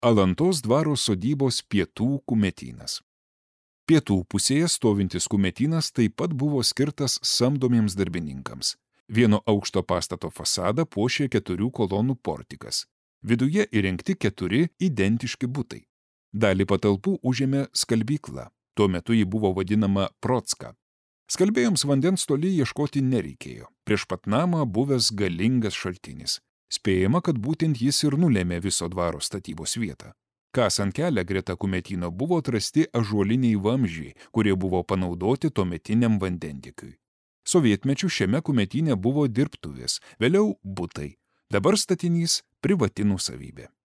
Alantos dvaro sodybos pietų kumetynas. Pietų pusėje stovintis kumetynas taip pat buvo skirtas samdomiems darbininkams. Vieno aukšto pastato fasadą puošė 4 kolonų portikas. Viduje įrengti 4 identiški butai. Dalį patalpų užėmė skalbykla. Tuo metu ji buvo vadinama Procka. Skalbėjams vandens toli ieškoti nereikėjo. Prieš pat namą buvęs galingas šaltinis. Spėjama, kad būtent jis ir nulėmė viso dvaro statybos vietą. Kasant kelią greta kumetyno buvo atrasti ąžuoliniai vamzdžiai, kurie buvo panaudoti tuometiniam vandentiekiui. Sovietmečiu šiame kumetyne buvo dirbtuvės, vėliau butai. Dabar statinys privati nuosavybė.